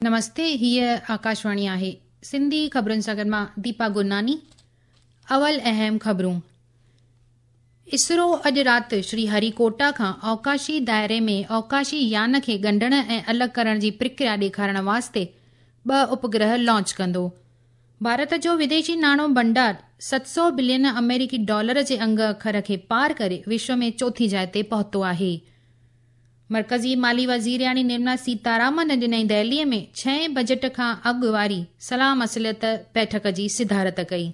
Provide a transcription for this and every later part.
نمستي هيء آڪاشواڻي آهي سنڌي خبرن سان گڏ مان ديپا گرناني اول اهم خبرون اسرو اڄ رات شري هري ڪوٽا کان اوڪاشي دائري ۾ اوڪاشي يان کي ڳنڍڻ ۽ الڳ ڪرڻ جي پرڪريا ڏيکارڻ واسطي ٻه اپگرهه لانچ ڪندو. ڀارت جو وديشي ناڻو ڀنڊار 700 بلين آمريڪي ڊالر جي انگ اکر کي پار ڪري وشو ۾ چوٿين جاء تي پهتو آهي. مرڪزي مالي وزيرياڻي نرملا سيتارامن اڄ نئين دهلي ۾ ڇهين بجيٽ کان اڳ واري صلاح مصلحت بيٺڪ جي صدارت ڪئي.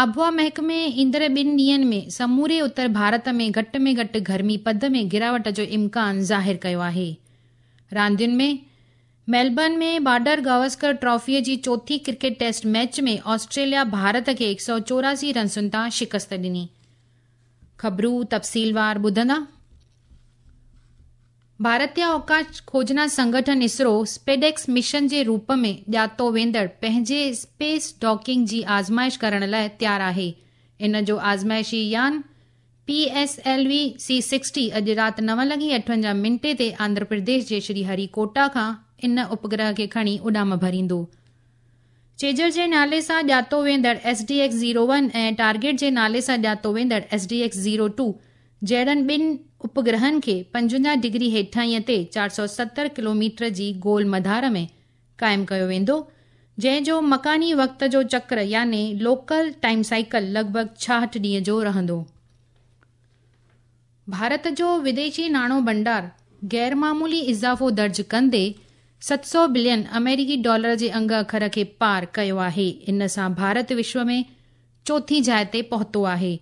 آبهوا محڪمي ايندڙ ٻن ڏينهن ۾ سموري اتر ڀارت ۾ گهٽ ۾ گهٽ گرمي پد ۾ گراوٽ جو امڪان ظاهر ڪيو آهي. راندين ۾ ميلبرن ۾ بارڊر گواسڪر ٽرافي جي چوٿين cricket test match ۾ Australia Bharat کي 184 رنسن تان شڪست ڏني. خبرون تفصيلوار ٻڌندا. ڀارتيه اوڪاش کوجنا سنگٺن اسرو اسپيڊيڪس مشن جي روپ ۾ ڄاتو ويندڙ پنهنجي اسپيس ڊاڪنگ جي آزمائش ڪرڻ لاء تيار آهي. ان جو آزمائشي يان P S L V C 60 اڄ رات نو لڳي 58 منٽي تي آنڌرا پرديش جي شري هري ڪوٽا کان ان اپگرهه کي کڻي اڏام ڀريندو. چيجر جي نالي سان ڄاتو ويندڙ ايس ڊي ايڪس 01 ۽ ٽارگيٽ جي نالي سان ڄاتو ويندڙ ايس ڊي ايڪس 02 جهڙن ٻن اپگرهن کي 55 ڊگري هيٺاهينء تي 470 ڪلوميٽر جي گول مدار ۾ قائم ڪيو ويندو، جنهن جو مڪاني وقت جو چڪر يعني لوڪل ٽائيم سائيڪل لڳ ڀڳ 66 ڏينهن جو رهندو. ڀارت جو وديشي ناڻو ڀنڊار غيرمعمولي اضافو درج ڪندي 700 بلين آمريڪي ڊالر جي انگ اکر کي پار ڪيو آهي. ان سان ڀارت وشو ۾ چوٿين جاء تي پهتو آهي.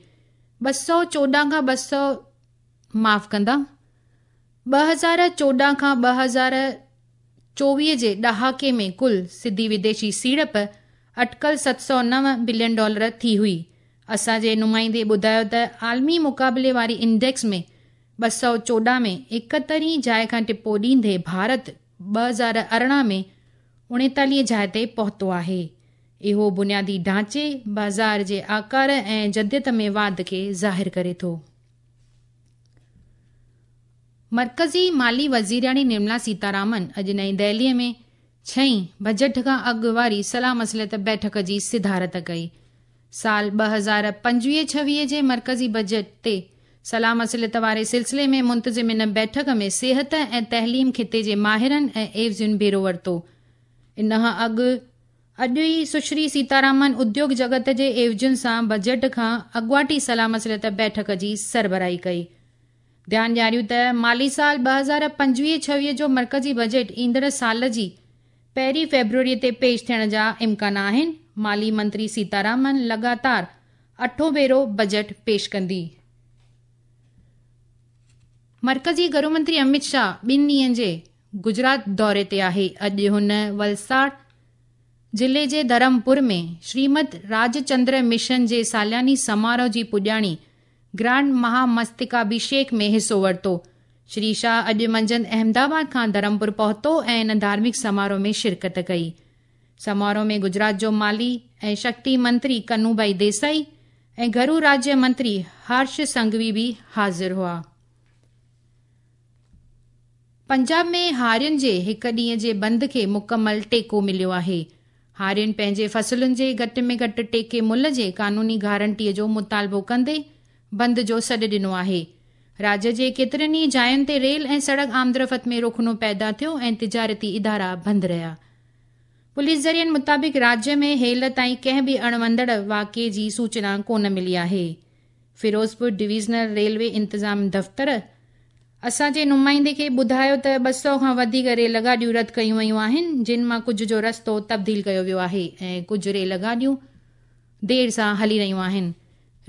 214 کان 200 معاف ڪندا 2014 کان 2024 جي ڏهاڪي ۾ ڪل سڌي وديشي سيڙپ اٽڪل 709 بلين ڊالر ٿي هئي. اسان جي نمائندي ٻڌايو ته عالمي مقابلي واري انڊيڪس ۾ 214 ۾ 71 جاء کان ٽپو ڏيندي ڀارت 2018 ۾ 39 جاء تي پهتو آهي. اهو بنيادي ڍانچي، بازار جي آڪار ۽ جديت ۾ واڌ کي ظاهر ڪري ٿو. مرڪزي مالي وزيرياڻي نرملا سيتارامن اڄ نئين دهلي ۾ ڇهين بجيٽ کان اڳ واري صلاح مصلحت بيٺڪ جي صدارت ڪئي. سال 2025-26 جي مرڪزي بجيٽ تي صلاح مصلحت واري سلسلي ۾ منتظم ان بيٺڪ ۾ صحت ۽ تعليم کاتي جي ماهرن ۽ عيوضين بهرو ورتو. ان کان اڳ اڄ ئي سشري سيتارامن اديوگ جڳت جي عيوضين سان بجيٽ کان اڳواٽي صلاح مصلحت بيٺڪ جي سربراهي ڪئي. ڌيان ڏياريون ته مالي سال 2025-26 جو مرڪزي بجيٽ ايندڙ سال جي پهرين فيبروري تي پيش ٿيڻ جا امڪان آهن. مالي منتري سيتارامن لڳاتار اٺون ڀيرو بجيٽ پيش ڪندي. مرڪزي گهرو منتري امت شاهه ٻن ڏينهن جي گجرات دوري تي آهي. اڄ هن ولساڙ ضلعي جي ڌرمپور ۾ شريمد راجچندر مشن جي سالياني سماروهه جي پڄاڻي گرانڊ مهامستڪاڀيشيڪ ۾ حصو ورتو. شري شاهه اڄ منجهند احمدآباد کان ڌرمپور پهتو ۽ ان ڌارمڪ سماروهه ۾ شرڪت ڪئي. سماروهه ۾ گجرات جو مالي ۽ شڪتي منتري ڪنوڀائي ديسائي ۽ گهرو راجيه منتري هرش سنگهوي به حاضر هئا. پنجاب ۾ هارين جي هڪ ڏينهن جي بند کي مڪمل ٽيڪو مليو آهي. هارين پنهنجي فصلن جي گهٽ ۾ گهٽ ٽيڪي ملهه جي قانوني گارنٽي جو مطالبو ڪندي بند جو سڏ ڏنو آهي. راجيه جي ڪيترين ئي جاين تي ريل ۽ سڙڪ آمدرفت ۾ رخنو پيدا ٿيو ۽ تجارتي ادارا بند رهيا. پوليس ذريعن مطابق راجيه ۾ هيل تائين ڪنهن به اڻوندڙ واقعي جي سوچنا ڪونه ملي آهي. فيروزپور ڊويزنل ريلوي انتظام دفتر اسان جي نمائندي کي ٻڌايو ته 200 کان وڌيڪ ريل گاڏيون رد ڪيون ويون آهن، جن مان ڪجهه جو رستو تبديل ڪيو ويو آهي ۽ ڪجهه ريل گاڏيون دير سان هلي رهيون آهن.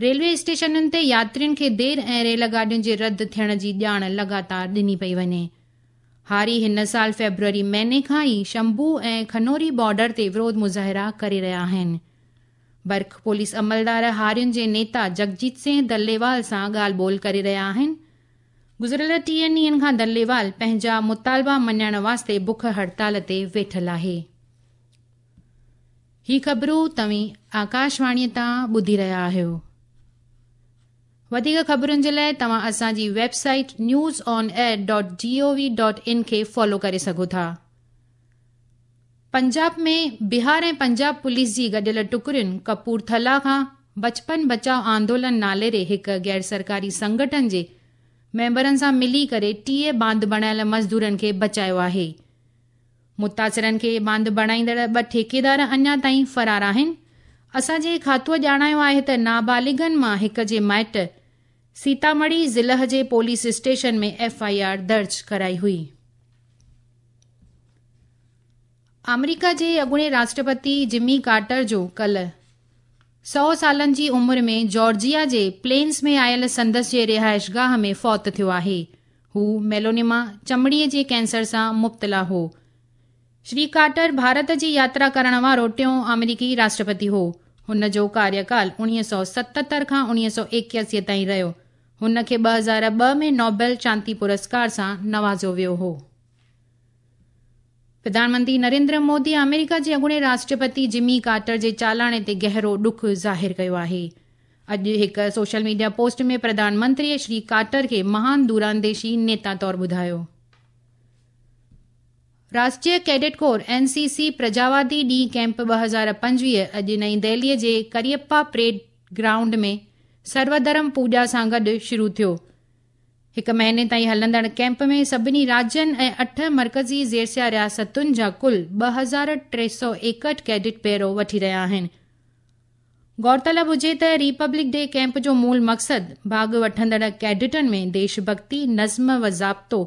ريلوي اسٽيشنن تي ياترين کي دير ۽ ريل گاڏين جي رد ٿيڻ جي ڄاڻ لڳاتار ڏني پئي وڃي. هاري هن سال فيبروري مهيني کان ئي شمڀو ۽ کنوري بارڊر تي وروڌ مظاهرا ڪري رهيا آهن. برک پوليس عملدار هارين جي نيتا جگجيت سنگهه دليوال سان ڳالهه ٻولهه ڪري رهيا آهن. گذريل 30 ڏينهن کان دليوال پنهنجا مطالبا مڃائڻ واسطي بک هڙتال تي ويٺل آهي. هي خبرون توهين آڪاشواڻي تان ٻڌي رهيا آهيو. وڌيڪ خبرن جي لاءِ توهان اسان جي website news on air dot G O V dot in کي فالو ڪري سگهو ٿا. پنجاب ۾ بهار ۽ پنجاب پوليس جي گڏيل ٽڪڙين ڪپورٿلا کان بچپن بچاءُ آندولن نالي ري هڪ غير سرڪاري سنگٺن جي ميمبرن سان ملي ڪري 30 باند بڻايل مزدورن کي بچايو آهي. متاثرن کي باند بڻائيندڙ 2 ٺيڪيدار اڃا تائين فرار آهن. اسان جي کاتوءَ ڄاڻايو آهي ته نابالغن مان هڪ جي مائٽ سيتامڙي ضلع جي police station ۾ F I R درج ڪرائي هئي. آمريڪا جي اڳوڻي راشٽرپتي جمي ڪارٽر جو ڪالهه 100 سالن جي عمر ۾ جارجيا جي پلينس ۾ آيل سندس جي رهائشگاهه ۾ فوت ٿيو آهي. هو ميلونيما چمڙيءَ جي ڪينسر سان مبتلا هو. شري ڪارٽر ڀارت جي ياترا ڪرڻ وارو ٽيون آمريڪي راشٽرپتي هو. هن جو ڪاريڪال 1977 کان 1981 تائين رهيو. هن کي 2002 ۾ نوبيل شانتي پرسڪار سان نوازيو ويو هو. پرڌان منتري نريندر مودي آمريڪا جي اڳوڻي راشٽرپتي جمي ڪارٽر جي چالاڻي تي گهرو ڏک ظاهر ڪيو آهي. اڄ هڪ سوشل ميڊيا پوسٽ ۾ پرڌان منتريءَ شري ڪارٽر کي مهان دورانديشي نيتا طور ٻڌايو. راشٽريه ڪيڊٽ ڪور اين سي سي پرجاوادي ڏينهن ڪيمپ 2025 اڄ نئين دهليءَ جي ڪريپا پريڊ گرائونڊ ۾ سروڌرم پوڄا سان گڏ شروع ٿيو. هڪ مهيني تائين هلندڙ ڪيمپ ۾ سڀني راجين ۽ 8 مرڪزي زيرسيا رياستن جا ڪل 2361 ڪيڊٽ بهرو وٺي رهيا آهن. غور طلب هجي ته ريپبلڪ ڊي ڪيمپ جو مول مقصد ڀاڳ وٺندڙ ڪيڊٽن ۾ ديش ڀڳتي، نظم و ضابطو،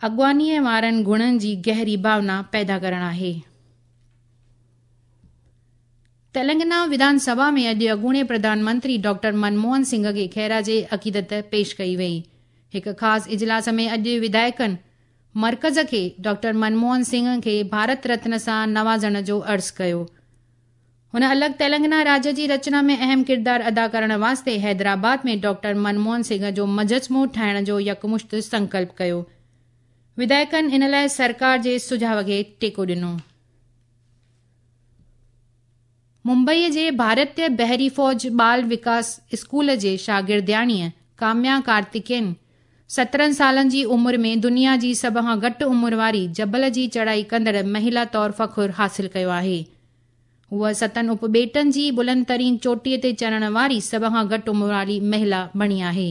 اڳواڻيءَ وارن گڻن جي گهري ڀاونا پيدا ڪرڻ آهي. تيلنگانا وڌان سڀا ۾ اڄ اڳوڻي پرڌان منتري ڊاڪٽر منموهن سنگهه کي خراج عقيدت پيش ڪئي وئي. هڪ خاص اجلاس ۾ اڄ وڌايڪن مرڪز کي ڊاڪٽر منموهن سنگهه کي ڀارت رتن سان نوازڻ جو عرض ڪيو. هن الڳ تيلنگانا راجيه جي رچنا ۾ اهم ڪردار ادا ڪرڻ واسطي حيدرآباد ۾ ڊاڪٽر منموهن سنگهه جو مجسمو ٺاهڻ جو يڪمشت سنڪلپ ڪيو. وڌايڪن ان لاءِ سرڪار جي سجهاءُ کي ٽيڪو ڏنو. ممبئيءَ جي ڀارتيه بحري فوج ٻال وڪاس اسڪول جي شاگردياڻيءَ ڪاميا ڪارتڪين 17 سالن جي عمر ۾ دنيا جي سڀ کان گهٽ عمر واري جبل جي چڙهائي ڪندڙ مهلا طور فخر حاصل ڪيو آهي. هوءَ 7 اپٻيٽن جي بلند ترين چوٽيءَ تي چڙهڻ واري سڀ کان گهٽ عمر واري مهلا بڻي آهي.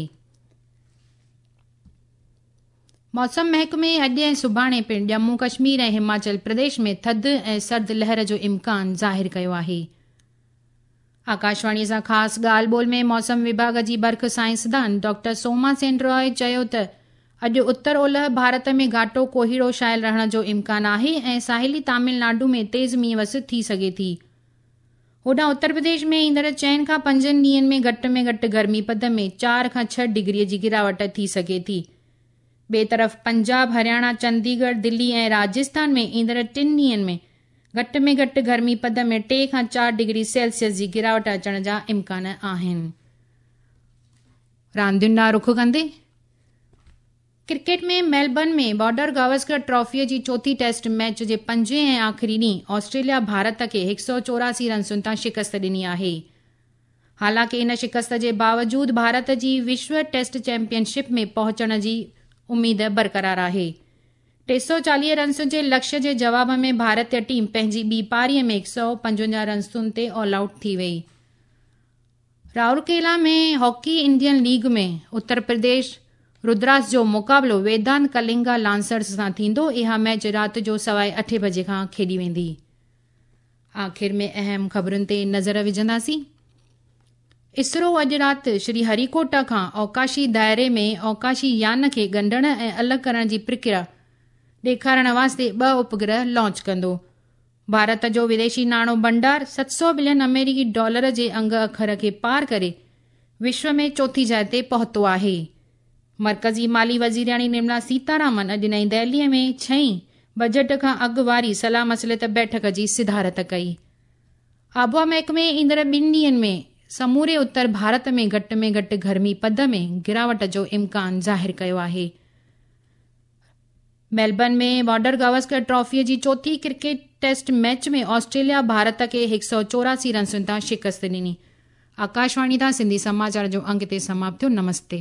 موسم محڪمي اڄ ۽ سڀاڻي پڻ ڄمون ڪشمير ۽ هماچل پرديش ۾ ٿڌ ۽ سرد لهر جو امڪان ظاهر ڪيو آهي. آڪاشواڻيءَ سان خاص ڳالهه ٻولهه ۾ موسم وڀاڳ جي برک سائنسدان ڊاڪٽر سوما سين راءِ چيو ته اڄ اتر اولهه ڀارت ۾ گهاٽو ڪوهيڙو ڇانيل رهڻ جو امڪان آهي ۽ ساحلي تامل ناڊو ۾ تيز مينهن وس ٿي سگهي ٿي. هوڏانهن اتر پرديش ۾ ايندڙ 4 کان 5 ڏينهن ۾ گهٽ ۾ گهٽ گرمي پد ۾ 4 کان 6 ڊگريءَ جي گراوٽ ٿي سگهي ٿي. ٻئي طرف پنجاب، هرياڻا، چنديڳڙهه، دلي ۽ راجسٿان ۾ ايندڙ 3 ڏينهن ۾ گهٽ ۾ گهٽ گرمي پد ۾ 3 کان 4 ڊگري سيلسيس جي گراوٽ اچڻ جا امڪان آهن. راندين ڏانهن رخ ڪندي ڪرڪيٽ ۾ ميلبرن ۾ بارڊر گاوسڪر ٽرافيءَ جي چوٿين ٽيسٽ ميچ جي پنجين ۽ آخري ڏينهن آسٽريليا ڀارت کي 184 رنسن تان شڪست ڏني آهي. حالانڪه ان شڪست جي باوجود ڀارت جي وشو ٽيسٽ چيمپيئن شپ ۾ پهچڻ جي اميد برقرار آهي. 340 رنسن جي لڪشيه جي جواب ۾ ڀارتيه ٽيم پنهنجي ٻي پاريءَ ۾ 155 رنسن تي آل آئوٽ ٿي وئي. رائورڪيلا ۾ hockey Indian league ۾ Uttar Pradesh ردراس جو مقابلو ويدانت ڪلنگا لانسرز سان ٿيندو. اها ميچ رات جو 8:15 بجي کان کيڏي ويندي. آخر ۾ اهم خبرن تي نظر وجهنداسين. اسرو اڄ رات شري هريڪوٽا کان اوڪاشي دائري ۾ اوڪاشي يان کي ڳنڍڻ ۽ الڳ ڪرڻ جي پرڪريا ڏيکارڻ واسطي 2 اپگرهه لانچ ڪندو. ڀارت جو وديشي ناڻو ڀنڊار 700 بلين آمريڪي ڊالر جي انگ اکر کي پار ڪري وشو ۾ چوٿين جاءِ تي پهتو آهي. مرڪزي مالي وزيرياڻي نرملا سيتارامن اڄ نئين دهليءَ ۾ 6 بجيٽ کان اڳ واري صلاح مصلحت بيٺڪ جي صدارت ڪئي. آبهوا محڪمي ايندڙ 2 ڏينهن ۾ سموري اتر ڀارت ۾ گهٽ ۾ گهٽ گرمي پد ۾ گراوٽ جو امڪان ظاهر ڪيو آهي. ميلبرن ۾ بارڊر گاوسڪر ٽرافيءَ جي چوٿين cricket test match ۾ Australia Bharat کي 184 رنسن تان شڪست ڏني. آڪاشواڻي تان سنڌي سماچار جو انگ هتي سماپت ٿيو. نمستي.